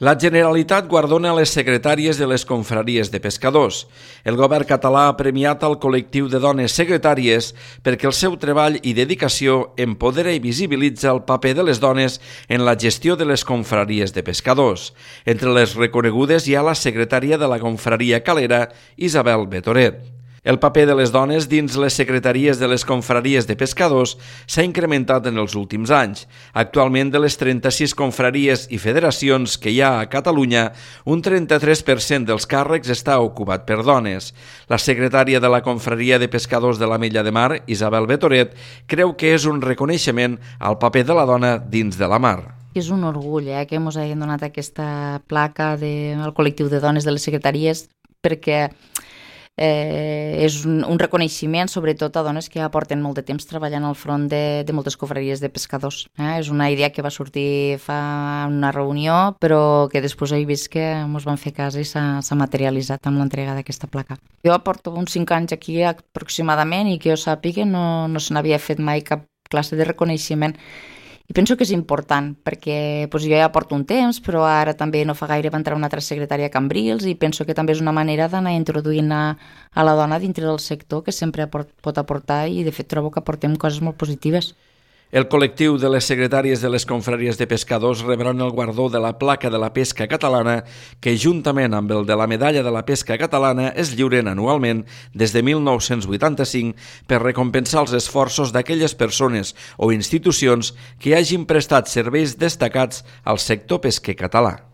La Generalitat guardona les secretàries de les confraries de pescadors. El govern català ha premiat el col·lectiu de dones secretàries perquè el seu treball i dedicació empodera i visibilitza el paper de les dones en la gestió de les confraries de pescadors. Entre les reconegudes hi ha la secretària de la confraria calera, Isabel Betoret. El paper de les dones dins les secretaries de les confraries de pescadors s'ha incrementat en els últims anys. Actualment, de les 36 confraries i federacions que hi ha a Catalunya, un 33% dels càrrecs està ocupat per dones. La secretària de la confraria de pescadors de l'Ametlla de Mar, Isabel Betoret, creu que és un reconeixement al paper de la dona dins de la mar. És un orgull que ens hagin donat aquesta placa al col·lectiu de dones de les secretaries, perquè és un reconeixement sobretot a dones que ja porten molt de temps treballant al front de moltes confraries de pescadors. És una idea que va sortir fa una reunió, però que després he vist que ens van fer cas i s'ha materialitzat amb l'entrega d'aquesta placa. Jo porto uns 5 anys aquí aproximadament i que jo sàpiga no se n'havia fet mai cap classe de reconeixement. I penso que és important, perquè jo ja porto un temps, però ara també no fa gaire va entrar una altra secretària a Cambrils i penso que també és una manera d'anar introduint a la dona dintre del sector que sempre pot aportar i de fet trobo que aportem coses molt positives. El col·lectiu de les secretàries de les confraries de pescadors rebran el guardó de la placa de la pesca catalana que, juntament amb el de la medalla de la pesca catalana, es lliuren anualment des de 1985 per recompensar els esforços d'aquelles persones o institucions que hagin prestat serveis destacats al sector pesquer català.